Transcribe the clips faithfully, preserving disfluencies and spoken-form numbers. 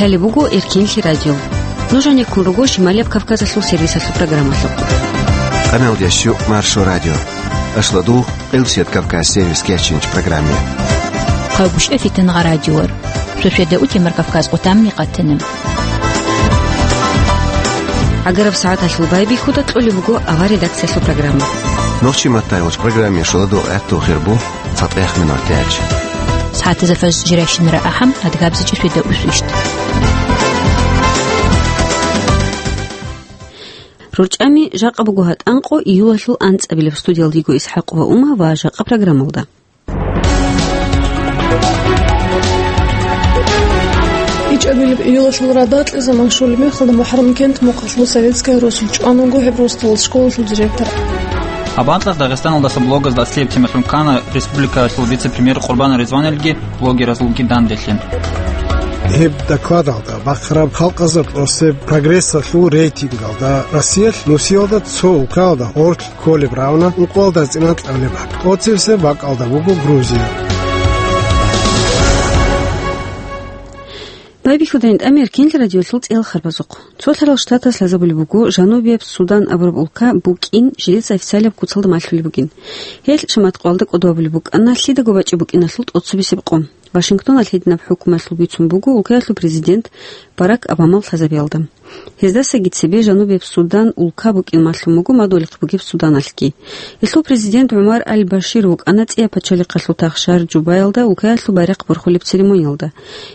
Лъалеб буго Эркинлъи радио. Нуж гьанеккун руго Шималияб Кавказалъул сервисалъул программалъухъ. Къаналдеш щу Маршо радио. Ашладу Къилсият Кавказ сервис кечинч программе. Хъагушев Фитангъа радиор. Шошеда утемар Кавказ къутамни къатана. ГӀагараб сагӀаталъул байбихьуда кьолеб буго авар редакциялъул программа. Нохчи маттайгъуч программе шоладу гӀатту хирбу. Цатаяхъ минутач. СагӀатазда фаз жирайщинара ахӀам, адгабзичӀи шведа усвищт. РорчӀами жакъа буго гьатӀанкъо июлалъул анцӀабилеб. Студиялдиго Исхьакъ ва Ума ва жакъа программалда. ИчӀабилеб июлалъул радакье заман щолеб мехалда МухӀаррам кент мухъалъул советская росулъ чӀван вуго гьеб росдалалъ школалъул директор. Гьаб анкьалъ Дагъистаналдаса блогазда аслияб тема лъун ккана республикалъул вице-премьер Къурбан Ризванилги блогеразулги данделъи. Гьеб докладалда бахъараб халкъазда тӀосеб прогрессалъул рейтингалда Россиялъ нусиялда цо улкаялда гъорлъ кколеб равна ункъоялда цӀинан кьабилеб бакӀ. ТӀоцебесеб бакӀалда буго Грузия. Байбихьудайин тӀамер Кинл радиолъул цӀел харбазухъ. Цолъарал Штатас лъазабулеб буго Жанубияб Судан абураб улка букӀин жидеца официалияб куцалда малъулеб бугин. Гьелъ шаматкъуялда кӀодо абулеб букӀана лъидаго бачӀи букӀиналъул тӀоцебесеб къо. Вашингтоналъ гьединаб хӀукумалъул бицун буго улкаялъул президент Барак Обамал лъазабиялда. Гьездасаги цебе Жанубияб Судан улка букӀин малъун буго мадугьалихъ бугеб Суданалъги. Гьелъул президент ГӀумар аль-Башир вукӀана цӀияб пачалихъалъул тахшар Жубаялда улкаялъул байрахъ борхулеб церемониялда.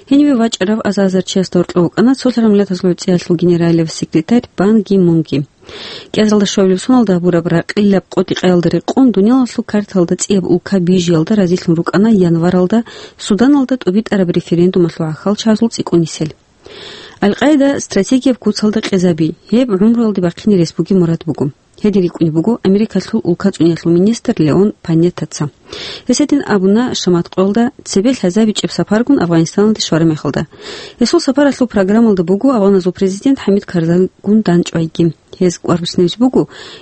Гьениве вачӀарав аза-азар чиясда гьоркьов вукӀана цолъарал миллатазул гӀуцӀиялъул генералияб секретарь Пан Ги Мунги. КӀиазалда щуабилеб соналда гьабураб ракъилаб къотӀи-къаялда рекъон, дуниялалъул карталда цӀияб улка бижиялда разилъун рукӀана январалда Суданалда тӀубитӀараб референдумалъул гӀахьалчагӀазул цӀикӀкӀун нисел. Аль-Къаида стратегияб куцалда къезаби, гьеб гӀумруялде бахъине рес бугеб мурад буго. Гьедин рикӀкӀунеб буго Америкалъул улкацӀуниялъул министр Леон Панеттаца. Гьес гьедин абуна шаматкъуялда цебе лъазабичӀеб сапаргун Афганистаналде щвараб мехалда. Гьесул сапаралъул программалда буго афганазул президент ХӀамид Карзайгун дандчӀвайги. Гьез кӀвар буссинабизе буго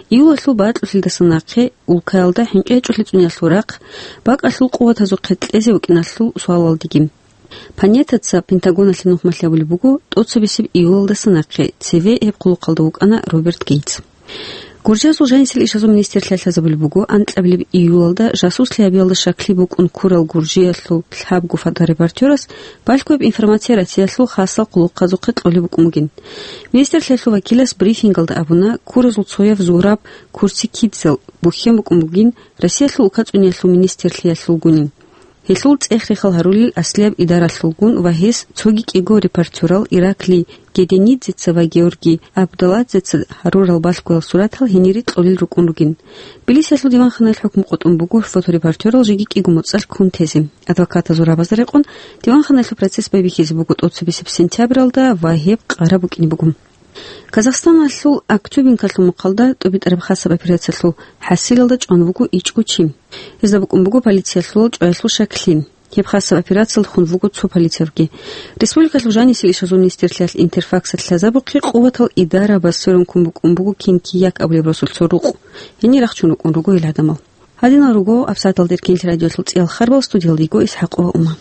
июлалъул бакьулъилдаса нахъе улкаялда хӀинкъи гьечӀолъи цӀуниялъул рахъ, бакӀалъул къуватазухъе кьезе вукӀиналъул суалалдеги. Панеттаца Пентагоналъе нухмалъи абулеб буго тӀоцебесеб июлалдаса нахъе, цеве гьеб хъулухъалда вукӀана Роберт Гейтс. Гуржиязул жанисел ишазул министрлъиялъ лъазабулеб буго анкьабилеб июлалда жасуслъи гьабиялда щаклъи букӀун ккурал Гуржиялъул лъабго фоторепортёрас балъгояб информация Россиялъул хасал хъулухъазухъе кьолеб букӀун бугин. Министрлъиялъул вакилас брифингалда абуна, ккуразул цояв зураб курси кидзал бухьен букӀун бугин Россиялъул улкацӀуниялъул министрлъиялъулгунин. Гьелъул цӀех-рехал гьарулел аслияб идаралъулгун ва гьес цоги кӀиго репортёрал Ираклий Геденидзеца ва Георгий Абдуладзеца гьарурал балъгоял суратал гьенире кьолел рукӀун ругин. Тбилисиялъул диванханаялъ хӀукму къотӀун буго фоторепортёрал жеги кӀиго моцӀалъ ккун тезе. Адвокатазул рабазда рекъон, диванханаялъул процесс байбихьизе буго тӀоцебесеб сентябралда ва гьеб къараб букӀине буго. Казахстаналъул Актюбинкалъул мухъалда тӀубитӀараб хасаб операциялъул хӀасилалда чӀван вуго ичӀго чи. Гьезда букӀун буго полициялъул чӀваялъул щаклъи. Гьеб хасаб операциялда хун вуго цо полицаявги. Республикалъул жанисел ишазул министрлъиялъ Интерфаксалъ лъазабухъе къуватал идарабаз сверун ккун букӀун буго Кин Кияк абулеб росулъ цо рукъ. Гьенир рахчун рукӀун руго гьел гӀадамал. Гьадинал руго абсагӀаталда Эркинлъи радиолъул цӀиял харбал, студиялда йиго Исхьакъова Ума.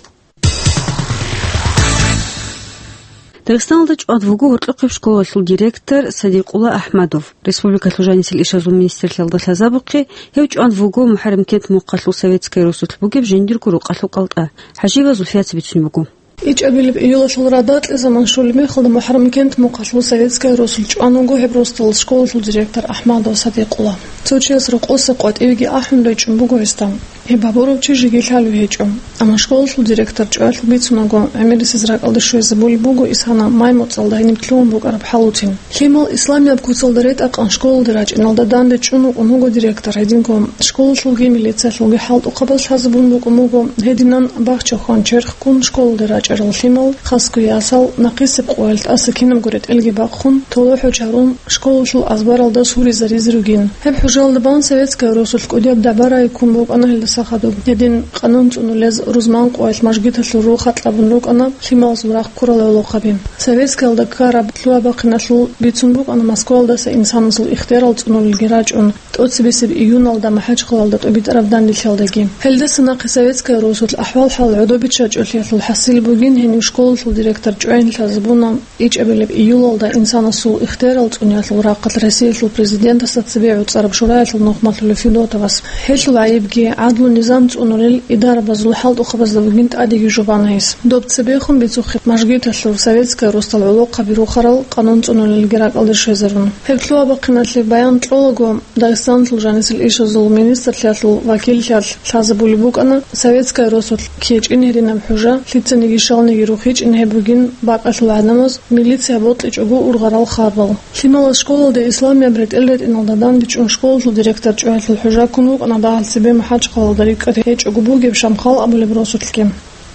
Дагъистаналда чӀвад вуго гьоркьохъеб школалъул директор Садикъула Ахмадов. Республикалъул жанисел ишазул министрлъиялда лъазабухъе, гьев чӀван вуго МухӀаррамкент мухъалъул Советская росулъ бугеб жиндирго рукъалъул кӀалтӀа. ХӀажиева Зульфият бицунеб буго. ИчӀабилеб июлалъул радакье заман щолеб мехалда МухӀаррамкент мухъалъул Советская росулъ чӀван вуго гьеб росдалалъ школалъул директор Ахмадов Садикъула. Цо чияс рокъоса къватӀивеги ахӀун речӀчӀун буго гьесда. Гьеб гьабурав чи жеги лъалев гьечӀо. Амма школалъул директор чӀваялъул бицунаго, гӀемерисез ракӀалде щвезабулеб буго исана май моцӀалда гьениб лъугьун букӀараб хӀалуцин. Лъимал исламияб куцалда ретӀа-къан школалде рачӀиналда данде чӀун вукӀун вуго директор гьединго. Школалъулги милициялъулги хӀалтӀухъабаз лъазабун букӀун буго, гьединан бахча хван черхккун школалде рачӀарал лъимал, хасго ясал, нахъисеб къоялъ тӀаса кинабго ретӀелги бахъун, толохӀо чарун, школалъул азбаралда суризаризе ругин. Гьеб хӀужалда бан Советская росулъ кӀудияб дабарай ккун букӀана гьелда Сахадуб. Гьедин къанун цӀунулез рузман къоялъ мажгиталъул рухӀат кьабун рукӀана лъималазул рахъ ккурал гӀолохъаби. Советскиялда ккараб лъугьа-бахъиналъул бицун букӀана Москваялдаса инсанасул ихтиярал цӀунулелги рачӀун, тӀоцебесеб июналда МахӀачхъалалда тӀубитӀараб данделъиялдаги. Гьелдаса нахъе Советская Русулъ ахӀвал-хӀал гӀодобиччачӀолъиялъул хӀасил бугин гьенив школалъул директор чӀвайин лъазабуна ичӀабилеб июлалда инсанасул ихтиярал цӀуниялъул рахъалъ Россиялъул президентасда цебе гӀуцӀараб шураялъул нухмалъулев Федотовас. Гьелъул гӀайибги, гӀадлу-низам цӀунулел идарабазул хӀалтӀухъабазда бугин тӀадеги жубана гьес. Доб цебехун бицухъе мажгиталъул Советская Русдал гӀолохъаби рухарал къанун цӀунулелги ракӀалде щвезарун. Гьеб лъугьа-бахъиналъе баян кьолаго, Дагъистаналъул жанисел ишазул министрлъиялъул вакиллъиялъ лъазабулеб букӀана Советская Русулъ ккечӀин гьединаб хӀужа, лъицаниги щалниги рухичӀин гьеб бугин бакӀалъул гӀадамаз милиция бокьичӀого ургъарал хабал. Лъималаз школалде исламияб ретӀел ретӀиналда дандечӀун школалъул директор чӀваялъул хӀужа ккун вукӀана дагьал цебе МахӀачхъалалда рикӀкӀад гьечӀого бугеб Шамхал абулеб росулъги.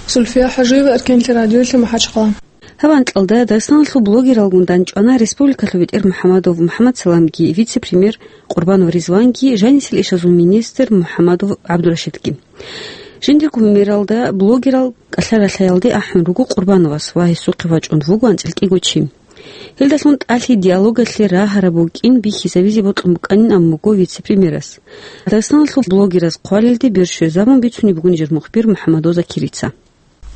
Сульфия ХӀажиева, Эркенлъи радиолъи, МахӀачхъала. Гьаб анкьалда Дагъистаналъул блогералгун дандчӀвана республикалъул бетӀер МухӀаммадов МухӀаммад Саламги, вице-премьер Къурбанов Ризванги, жанисел ишазул министр МухӀаммадов ГӀабдурашидги. Жиндирго мералда блогерал кӀалъа-ралъаялде ахӀун руго Къурбановас ва гьесухъе вачӀун вуго анцӀила кӀиго чи. Гьелдалъун тӀалъи диалогалъе рагьараб букӀин бихьизабизе бокьун букӀанин абун буго вице-премьерас. Дагъистаналъул блогераз хъвалелде бер щвезабун бицунеб буго нижер мухбир МухӀаммадов Закирица.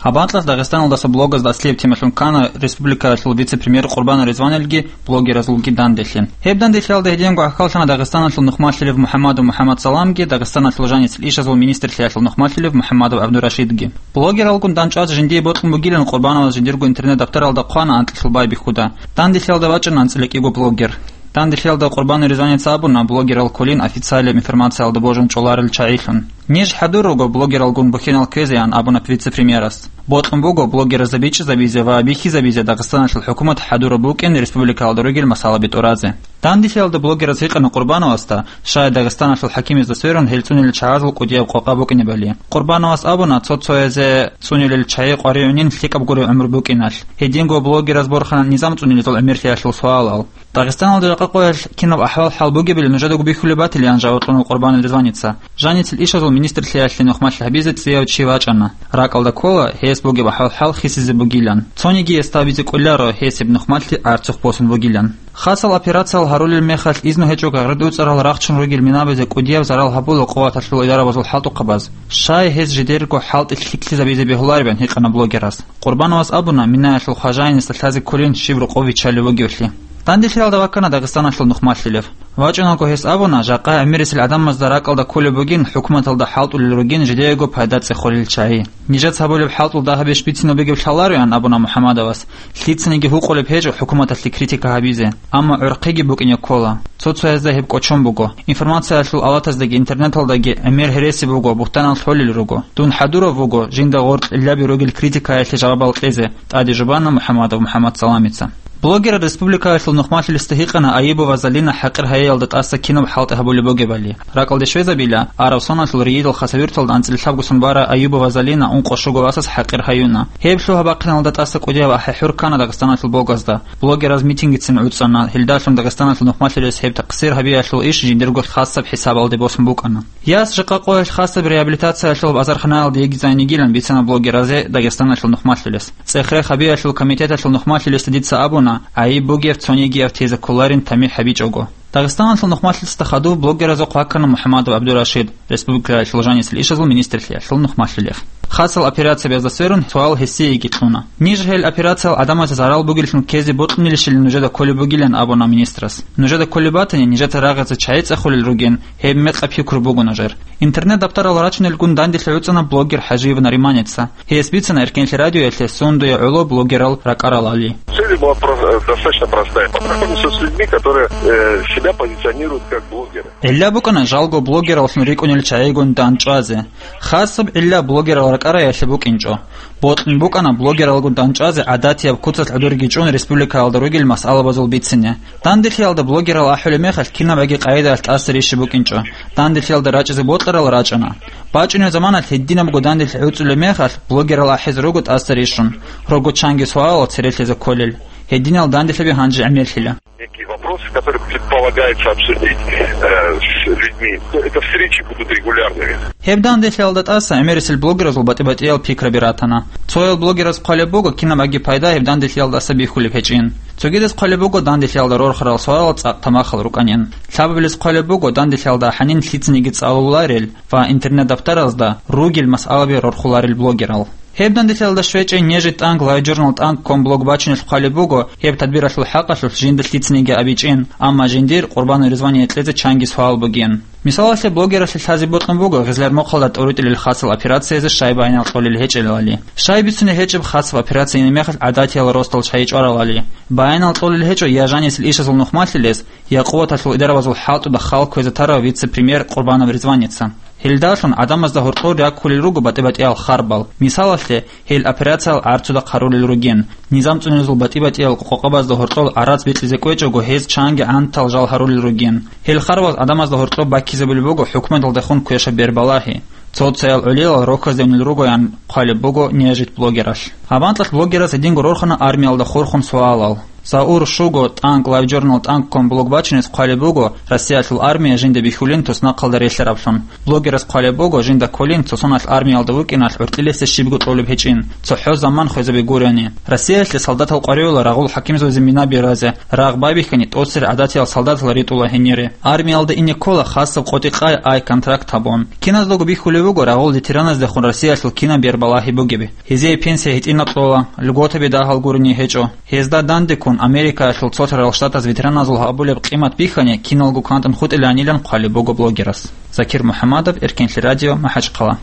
Гьаб анкьалъ Дагъистаналдаса блогазда аслияб темалъун ккана республикалъул вице-премьер Къурбанов Ризваналги блогеразулги данделъи. Гьеб данделъиялда гьединго гӀахьаллъана Дагъистаналъул нухмалъулев МухӀаммадов МухӀаммад Саламги, Дагъистаналъул жанисел ишазул министрлъиялъул нухмалъулев МухӀаммадов ГӀабдурашидги. Блогералгун дандчӀвазе жиндие бокьун бугилан Къурбановаз жиндирго интернет-даптаралда хъвана анкьилъул байбихьуда. Данделъиялда вачӀана анцӀила кӀиго блогер. Данделъиялда Къурбанов Ризваница абуна блогерал кколин официалияб информациялда божун чӀоларел чагӀилъун. Ниж хӀадур руго блогералгун бухьинал кквезеян абуна вице-премьерас. Бокьун буго блогеразда бичӀчӀизабизе ва бихьизабизе Дагъистаналъул хӀукумат хӀадураб букӀин республикалда ругел масъалаби тӀуразе. Данделъиялда блогераз гьикъана Къурбановасда, щай Дагъистаналъул хӀакимазда сверун гьел цӀунилел чагӀазул кӀудияб къокъа букӀинебали. Къурбановас абуна, цо-цоязе цӀунилел чагӀи къваригӀунин лъикӀаб гуреб гӀумру букӀиналъ. Гьединго блогераз борхана низам цӀунилезул гӀемерлъиялъул суалал. Дагъистаналда жакъа къоялъ кинаб ахӀвал-хӀал бугебали нужедаго бихьулеб батилан жаваб кьуна Къурбанов Ризваница. Жаницел ишазул министрлъиялъе нухмалъи гьабизе цӀияв чи вачӀана. РакӀалда ккола, гьес бугеб ахӀвал-хӀал хисизе бугилан. Цониги гьесда абизе кӀоларо гьес гьеб нухмалъи гӀарцухъ босун бугилан. Хасал операциялъ гьарулел мехалъ изну гьечӀого гъард уцӀарал рахчун ругел минабазе кӀудияб зарал гьабула къуваталъул идарабазул хӀалтӀухъабаз. Щай гьез жидерго хӀалтӀи лъикӀлъизабизе бегьуларебан гьикъана блогерас. Къурбановас абуна, минаялъул хважаинасда лъазе кколин щиб рокъов виччалев вугевлъи. Данделъиялда ваккана Дагъистаналъул нухмалъулев. ВачӀунаго гьес абуна, жакъа гӀемерисел гӀадамазда ракӀалда кколеб бугин хӀукуматалда хӀалтӀулел ругин жидеего пайда цӀехолел чагӀи. Нижеца гьабулеб хӀалтӀул дагьабищ бицинаб бугеб лъалароян абуна МухӀаммадовас. Лъицаниги гьукъулеб гьечӀо хӀукуматалъе критика гьабизе, амма гӀурхъиги букӀине ккола. Цо-цоязда гьеб кӀочон буго. Информациялъул авлатаздаги интернеталдаги гӀемер гьереси буго, бугьтанал лъолел руго. Дун хӀадурав вуго, жинда гъоркь лъилаби ругел критикаялъе жавабал кьезе, тӀаде жубана МухӀаммадов МухӀаммад Саламица. Блогерал республикаялъул нухмалъулесда гьикъана Аюбова Залина хӀакъир гьайиялда тӀаса кинаб хӀалтӀи гьабулеб бугебали. РакӀалде щвезабила, Араб соналъул ригьидал хасавирталда анцӀила лъабго сон бара Аюбова Залина ункъо-щуго васас хӀакъир гьаюна. Гьеб лъугьа-бахъиналда тӀаса кӀудияб ахӀи-хӀур ккана Дагъистаналъул блогазда. Блогераз митингицин гӀуцӀана, гьелдалъун Дагъистаналъул нухмалъулес гьеб такъсир гьабиялъул иш жиндирго хасаб хӀисабалде босун букӀана. Яс жакъа къоялъ хасаб реабилитациялъул азарханаялда йигизайин йигилан бицана блогеразе Дагъистаналъул нухмалъулес. ЦӀех-рех гьабиялъул комитеталъул нухмалъулесда дица абуна, гӀайиб бугев цонигияв тезе кколарин тамихӀ гьабичӀого. Дагъистаналъул нухмалъулесда хадув блогеразухъ ваккана МухӀаммадов ГӀабдурашид, республикаялъул жанисел ишазул министрлъиялъул нухмалъулев. Хасал операциябазда сверун суал гьесиеги кьуна. Ниж гьел операциял гӀадамазда зарал бугеллъун ккезе бокьунилищилан нужеда кколеб бугилан абуна министрас. Нужеда кколеб батани, нижеца рагъазе чагӀи цӀехулел ругин, гьеб мекъаб пикру буго нужер. Интернет-даптарал рачунелгун данделъи гӀуцӀана блогер ХӀажиев Нариманица. Гьес бицана Эркенлъи радиоялъе сундуе гӀоло блогерал ракӀаралали. Цель была прос-, э, достаточно простая. Познакомиться с людьми, которые, э, себя позиционируют как блогеры. ГӀилла букӀана жалго блогераллъун рикӀкӀунел чагӀигун дандчӀвазе. Хасаб гӀилла блогерал ракӀараялъе букӀинчӀо. Бокьун букӀана блогералгун дандчӀвазе гӀадатияб куцалъ гӀодорги чӀун республикаялда ругел масъалабазул бицине. Данделъиялда блогерал ахӀулеб мехалъ кинабаги къагӀидаялъ тӀаса рищи букӀинчӀо. Данделъиялда рачӀизе бокьарал рачӀана. БачӀунеб заманалъ гьединабго данделъи гӀуцӀулеб мехалъ, блогерал ахӀизе руго тӀаса рищун. Рого чанги суалал церелъизе кколел. Гьединал данделъаби гьанже гӀемерлъила. Некие вопросы, которые предполагается обсудить, э, с людьми. Это встречи будут регулярными. Гьеб данделъиялда тӀаса гӀемерисел блогеразул батӀи-батӀиял пикраби ратана. Цоял блогераз хъвалеб буго, кинабаги пайда гьеб данделъиялдаса бихьулеб гьечӀин. Цогидаз хъвалеб буго данделъиялда рорхарал суалал цӀакъ тамахал рукӀанин. Лъабабилез хъвалеб буго данделъиялда гьанин лъицаниги цӀалуларел ва интернет-дафтаразда ругел масъалаби рорхуларел блогерал. Гьеб данделъиялда щвечӀей нежит тӀанг лайв-журнал тӀанг ком блог бачунелъ хъвалеб буго, гьеб тадбиралъул хӀакъалъулъ жинда лъицаниги абичӀин, амма жиндир Къурбанов Ризвание кьезе чанги суал бугин. Мисалалъе, блогералъе лъазе бокьун буго Гъизлар-Мохалда тӀоритӀулел хасал операциязе щай баянал кьолел гьечӀелали. Щай бицунеб гьечӀеб хасаб операция гьениб мехалъ гӀадатиял росдал щай чӀваралали. Баянал кьолел гьечӀо я жанисел ишазул нухмалъилез, я къуваталъул идарабазул хӀалтӀуда хал кквезе тарав вице-премьер Къурбанов Ризваница. Гьелдалъун гӀадамазда гьоркьор раккулел руго батӀи-батӀиял харбал. Мисалалъе, гьел операциял гӀарцуда хъарулел ругин. Низам цӀунезул батӀи-батӀиял къокъабазда гьоркьоб гӀарац бикьизе кӀвечӀого, гьез чанги гӀантал жал гьарулел ругин. Гьел харбаз гӀадамазда гьоркьоб баккизабулеб буго хӀукуматалдехун квешаб бербалагьи. Цо-цоял гӀолилал рохьазде унел ругоян хъвалеб буго нежит блогералъ. Гьаб анкьалъ блогераз гьединго рорхана армиялда хурхун суалал. Заур Шуго тӀанг лайв-журнал тӀанг ком блог бачунез хъвалеб буго, Россиялъул армия жинда бихьулин туснахъалда релълъараблъун. Блогерас хъвалеб буго, жинда кколин цо соналъ армиялда вукӀиналъ гӀуркьилесде щибго кьолеб гьечӀин, цохӀо заман хвезаби гурони. Россиялъе солдатал къваригӀула рагъул хӀакимзабазе мина беразе, рагъ байбихьани тӀоцере гӀадатиял солдатал ритӀула гьенире. Армиялда ине ккола хасаб къотӀи-къай ай контракт гьабун. Киназдаго бихьулеб буго рагъул ветераназдехун Россиялъул кинаб бербалагьи бугеб. Гьезие пенсия гьитӀинаб кьола, льготаби дагьал гурони гьечӀо. Гьезда дандеккун Америкаялъул Цолъарал Штатаз ветераназул гьабулеб къимат бихьани киналго кантӀун хутӀиланилан хъвалеб буго блогерас. Закир МухӀаммадов, Эркенлъи радио, МахӀачхъала.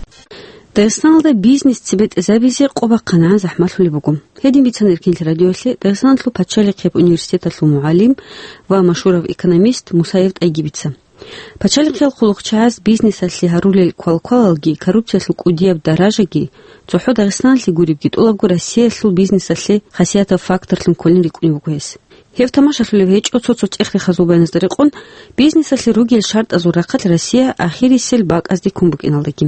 Дагъистаналда бизнес цебетӀезабизе къо бахъанагӀан захӀмалъулеб буго. Гьедин бицана Эркенлъи радиоялъе Дагъистаналъул пачалихъияб университеталъул мугӀалим ва машгьурав экономист Мусаев ТӀайгибица. Пачалихъиял хъулухъчагӀаз бизнесалъе гьарулел квалквалалги, коррупциялъул кӀудияб даражаги, цохӀо Дагъистаналъе гуребги, тӀолабго Россиялъул бизнесалъе хасиятаб факторлъун кколин рикӀкӀунеб буго гьес. Гьеб тамашалъулеб гьечӀо цо-цо чӀех-рехазул баяназда рекъон, бизнесалъе ругел шартӀазул рахъалъ Россия ахирисел бакӀазде ккун букӀиналдаги.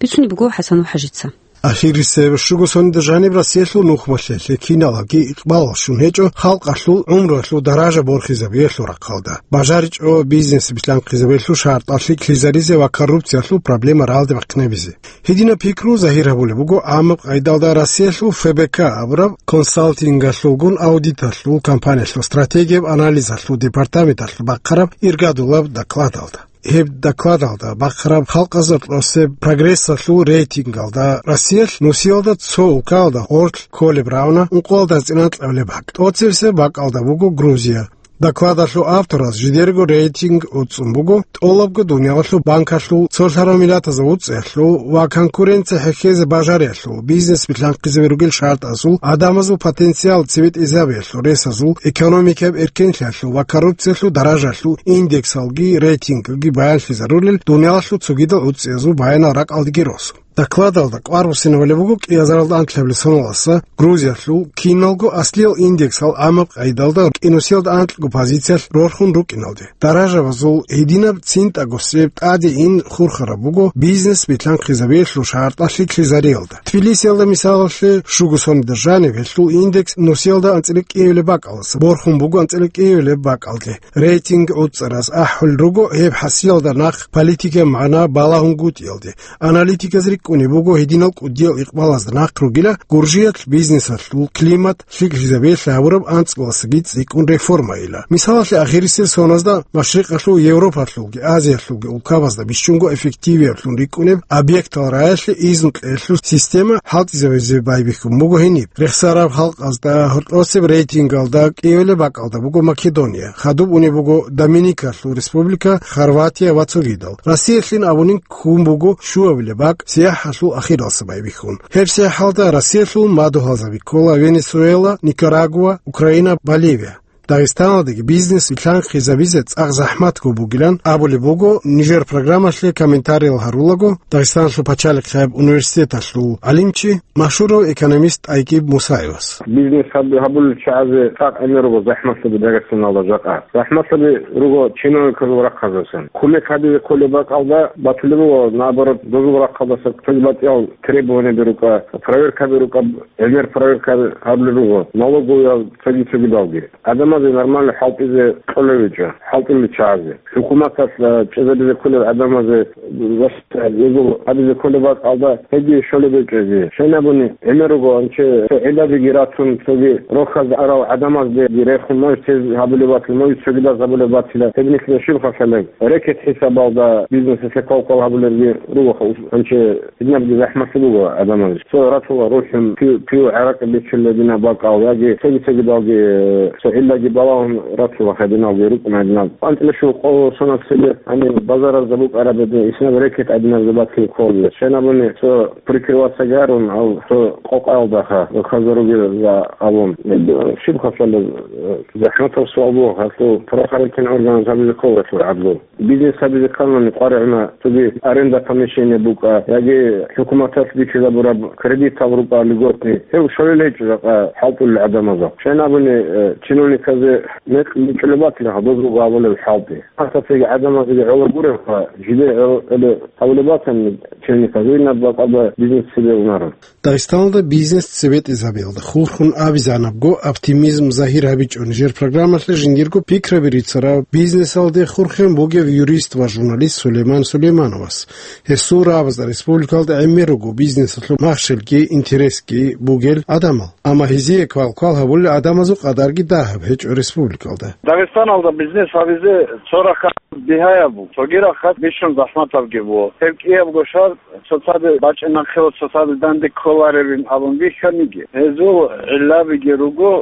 Бицунеб буго ХӀасанов ХӀажица. Ахирисеб щуго соналда жаниб Россиялъул нухмалъе лъикӀ киналги икъбалал щун гьечӀо халкъалъул гӀумруялъул даража борхизабиялъул рахъалда, бажаричӀо бизнес билъанхъизабиялъул шартӀал лъикӀлъизаризе ва коррупциялъул проблема ралде бахъинабизе. Гьединаб пикру загьир гьабулеб буго гӀамаб къайдалда Россиялъул ФБК абураб консалтингалъулгун аудиталъул компаниялъул стратегияб анализалъул департаменталъул бахъараб иргадулаб докладалда. Гьеб докладалда бахъараб халкъазул росеб прогрессалъул рейтингалда Россиялъ нусиялда цо улкаялда гъорлъ кколеб равна ункъоялда анцӀила анкьабилеб бакӀ. ТӀоцебесеб бакӀалда буго Грузия. Докладалъул автораз жидерго рейтинг уцӀцӀун буго тӀолабго дуниялалъул банкалъул, цолъарав миллатазул уцӀцӀиялъул ва конкуренция хӀехьезе бажариялъул, бизнес билъанхъизаби ругел шартӀазул, гӀадамазул потенциал цебетӀезабиялъул ресазул, экономикаяб эркенлъиялъул ва коррупциялъул даражалъул индексалги рейтингги баянлъизарулел дуниялалъул цогидал уцӀцӀиязул баянал ракӀалдеги росун. Докладалда кӀвар буссинабулеб буго кӀиазаралда анлъабилеб соналдаса Грузиялъул киналго аслиял индексал гӀамаб къайдалда кӀинусиялда анкьго позициялъ рорхун рукӀиналде. Даражабазул гьединаб цинтӀагосеб тӀаде ин хурхараб буго бизнес билъанхъизабиялъул шартӀал лъикӀлъизариялда. Тбилисиялда, мисалалъе, щуго соналда жаниб гьелъул индекс нусиялда анцӀила кӀиабилеб бакӀалдаса борхун буго анцӀила кӀиабилеб бакӀалде. Рейтинг уцӀцӀараз ахӀулел руго гьеб хӀасиялда нахъ политикаяб магӀна балагьунгутӀиялде. Аналитиказ рикӀкӀунеб буго гьединал кӀудиял икъбалазда нахъ ругила Гуржиялъ бизнесалъул климат лъикӀлъизабиялъе гьабураб анцӀбаласаги цӀикӀкӀун реформайила. Мисалалъе, ахирисел соналда Машрикъалъул, Европалъулги Азиялъулги улкабазда бищунго эффективиаблъун рикӀкӀунеб объектал раялъе изну кьеялъул система хӀалтӀизабизе байбихьун буго гьениб. Рехсараб халкъазда гьоркьосеб рейтингалда кӀиабилеб бакӀалда буго Македония, хадуб унеб буго Доминикалъул Республика, Хорватия ва цогидал. Россиялъин абунин ккун буго щуабилеб бакӀ сияхӀалъул ахиралдаса байбихьун. Гьеб сияхӀалда Россиялъул мадугьалзаби ккола Венесуэла, Никарагуа, Украина, Боливия. Дагъистаналдаги бизнес вилълъанхъизабизе цӀакъ захӀматго бугилан абулеб буго нижер программалъе комментариял гьарулаго Дагъистаналъул пачалихъияб университеталъул гӀалимчи, машгьурав экономист ТӀайкӀиб Мусаевас. Бизнес гьаб-, гьабулел чагӀазе цӀакъ гӀемер руго захӀмалъаби Дагъистаналда жакъа. ЗахӀмалъаби руго чиновниказул рахъазасан. Кумек гьабизе кколеб бакӀалда батулеб буго, наоборот, дозул рахъалдаса цоги батӀиял требованияби рукӀа, проверкаби рукӀа, гӀемер проверка гьабулел руго, налоговиял цоги-цогидалги. ГӀадамазе нормально хӀалтӀизе кьолев гьечӀо, хӀалтӀулел чагӀазе. ХӀукуматалъ, а, чӀезабизе кколел гӀадамазе, ва гьезул гьабизе кколеб бакӀалда гьеги щолеб гьечӀо гьезие. Щайин абуни, гӀемер руго, анче цо гӀилладиги ратун, цоги рохьаз арал гӀадамаздаги рехун, мой цез гьабулеб батила, мой цогидаз гьабулеб батила, гьеб нилъеда щиб хасалеб? Рекет хӀисабалда бизнесалъе квал-квал гьабулебги руго, анче гьединабги захӀмалъи буго гӀадамазе. Цо ратула рухӀун, пив-, пив гӀаракь биччулеб гьединаб бакӀал, яги цоги-цогидалги, э, цо гӀиллаги балагьун ратула гьединалги рукӀун гьединаб. АнцӀила щуго къо-, соналъ цебе, гьаниб базаразда букӀараб гьедин, иснаб рекет гьединаб забатлъи кколеб. Щайин абуни, цо прикрываться гарун, гьав цо къокъаялдаха, хазаруги за абун. Щиб хасалеб, э, захӀматаб суал буго, гьалъул правоохранительный органаз гьабизе ккола гьелъул гӀадлу. Бизнес гьабизе ккани къваригӀуна, цоги аренда помещения букӀа, яги хӀукуматалъ бичизабураб кредитал рукӀа льготный. Гьев щолел гьечӀо жакъа хӀалтӀулел гӀадамазда. Щайин абуни, э, чиновниказе мекъ бичӀчӀулеб батила гьаб дозулго гьабулеб хӀалтӀи. Гьасда цеги гӀадамазеги гӀоло гуребха, жиде гӀо-, гӀоло гьабулеб батани чиновниказе, инаб бакӀалда бизнес цебе унаро. Дагъистаналда бизнес цебетӀезабиялда хурхун абизанабго оптимизм загьир гьабичӀо нижер программалъе жиндирго пикраби рицарав, бизнесалде хурхен бугев юрист ва журналист Сулейман Сулеймановас. Гьесул рагӀабазда республикалда гӀемер руго бизнесалъул махщелги интересги бугел гӀадамал. Амма гьезие квал-квал гьабулел гӀадамазул къадарги дагьаб гьечӀо республикалда. Дагъистаналда бизнес гьабизе цо рахъалъ бигьаяб буго, цоги рахъалъ бищун захӀматабги буго. Гьеб кӀиябго шартӀ цоцаде бачӀинахъе ва цоцаде данде кколаребин абун бихьаниги, гьезул гӀиллабиги руго,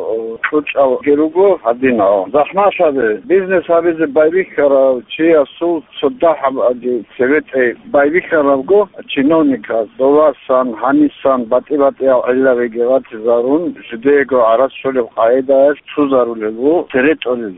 кьучӀалги руго гьадинал. ЗахӀмалъаби, бизнес гьабизе байбихьарав чиясул цо дагьабги цебетӀей байбихьарабго чиновниказ, довасан, гьанисан, батӀи-батӀиял гӀиллабиги ратизарун, жидеего гӀарац щолеб къагӀидаялъ цузарулел ву, цере тӀолел.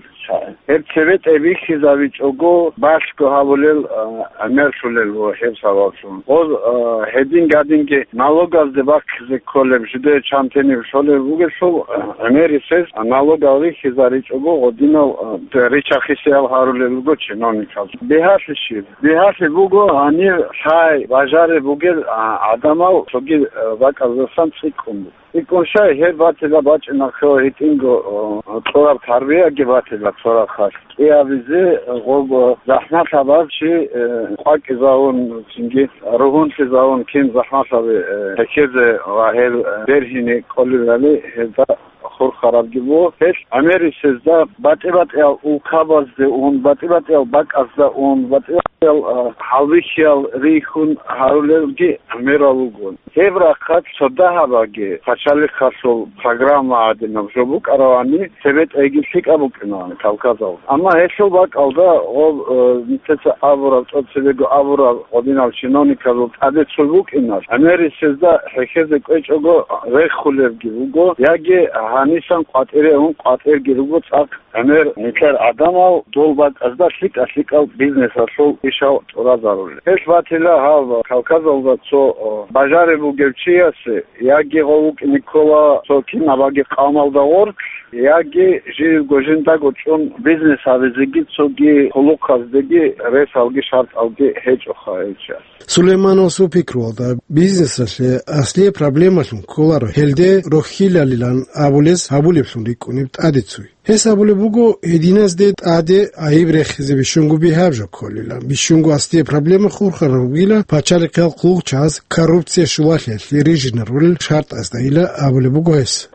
Гьеб цебетӀей бихьизабичӀого, балъго гьабулел, а, гӀемерлъулел ву гьеб сабаблъун. Гъоз, а, гьедин-гадинги налогазде бахъизе кколеб, жидее чан тениб щолеб бугелъул, а, гӀемерисез налогал рихьизаричӀого, гъодинал, а, ричахисеял гьарулел руго чиновниказ. Бигьалъи щиб? Бигьалъи буго, гьанир лъай бажареб бугел, а, гӀадамал цоги, а, бакӀаздасан цӀикӀкӀун буго. ИкӀкӀун щай, гьеб батила бачӀинахъе гьитӀинго, о, кьураб тарбияги батила цо рахъалъ. КӀиабизе гъоб, о, захӀмалъабав чи, э, къвакӀизавун, цинги ругьунлъизавун кин захӀмалъаби, э, хӀехьезе ва гьел, э, бергьине кӀолелали гьезда хурхарабги буго. Гьелъ гӀемерисезда батӀи-батӀиял улкабазде ун, батӀи-батӀиял бакӀазда ун, батӀи-батӀиял, а, хӀалбихьиял рихьун гьарулелги гӀемерал руго. Гьеб рахъалъ цо дагьабаги пачалихъалъул программа гӀадинаб жо букӀаравани, цебетӀейги лъикӀаб букӀинавани Кавказалда. Амма гьелъул бакӀалда гъоб, э, нилъеца абураб, цо цебего абураб гъодинал чиновниказул тӀаде цо букӀиналъ, гӀемерисезда хӀехьезе кӀвечӀого рехулебги буго, яги гьанисан къватӀире ун къватӀирги руго цӀакъ. ГӀемер нилъер гӀадамал дол бакӀазда лъикӀа-лъикӀал бизнесалъул ишал тӀуразарулел. Гьелъ батила гьав Кавказалда цо, о, бажареб бугев чиясе, яги гъов вукӀине ккола цо кинабаги къавмалда гъорлъ, яги живго жиндаго чӀун бизнес гьабизеги цоги хъулухъаздеги ресалги шартӀалги гьечӀоха гьев чияс. Сулеймановасул пикруялда, бизнесалъе аслие проблемалъун кколаро гьелде рохьилалилан абулес гьабулеблъун рикӀкӀунеб тӀаде цуй. Гьес абулеб буго, гьединазде тӀаде гӀайиб рехизе бищунго бигьаб жо кколила. Бищунго аслие проблема хурхараб бугила пачалихъиял хъулухъчагӀаз коррупция щулалъиялъе рижинарулел шартӀаздайила абулеб буго гьес.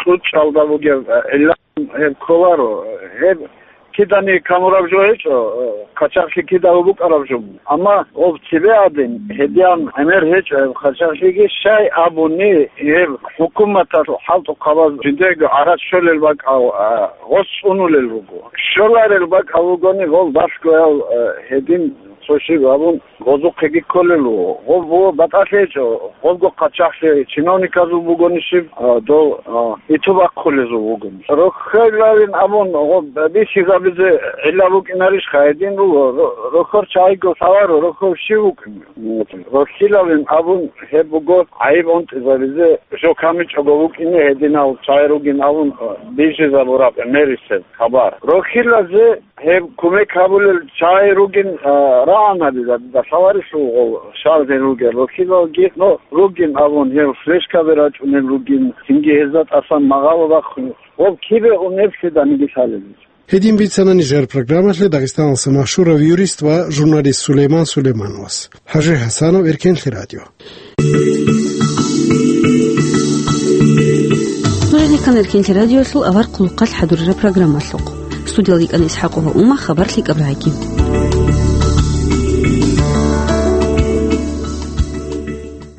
КьучӀалда бугеб гӀилла гьеб кколаро, гьеб кидани камураб жо гьечӀо, хъачагълъи кидаго букӀараб жо. Амма гъоб цебе гӀадин, гьедиян гӀемер гьечӀо гьеб хъачагълъиги, щай абуни, гьеб хӀукуматалъ хӀалтӀухъабаз жидего гӀарац щолел бакӀал, а, гъос цӀунулел руго. Щоларел бакӀал ругони, гъол балъгоял, а, гьедин Цо щиб абун, гъозухъеги кколел вуго. Гъоб вуго батӀалъи гьечӀо, гъобго хъачагълъи чиновниказул бугони щиб, а, дов, а, итуб ахъулезул вугони. Рохьилавин абун, гъоб бихьизабизе гӀилла букӀинарищха? Гьедин руго, ро-, рохьор чагӀиго лъаларо, рохьор щив вукӀин? Рохьилавин абун гьеб буго гӀайиб унтӀизабизе, жо камичӀого вукӀине гьединал чагӀи ругин абун, а, бижизабураб мерисеб хабар. Рохьилазе гьеб кумек гьабулел чагӀи ругин, а, рагӀанабила, дида лъаларелъул гъов шагьден ругел рохьилалги, но ругин абун гьев флешкаби рачӀунел ругин, цинги гьезда тӀасан магъало бахъун, гъоб кибе унеблъиданиги лъалеб. Гьедин бицана нижер программалъе Дагъистаналъа машгьурав юрист ва журналист Сулейман Сулеймановас. ХӀажи ХӀасанов, Эркенлъи радио. Нужеде ккан Эркенлъи радиоялъул авар хъулухъалъ хӀадурараб программалъухъ. Студиялда йикӀана ИсхӀакъова Ума, хабар лъикӀаб рагӀи.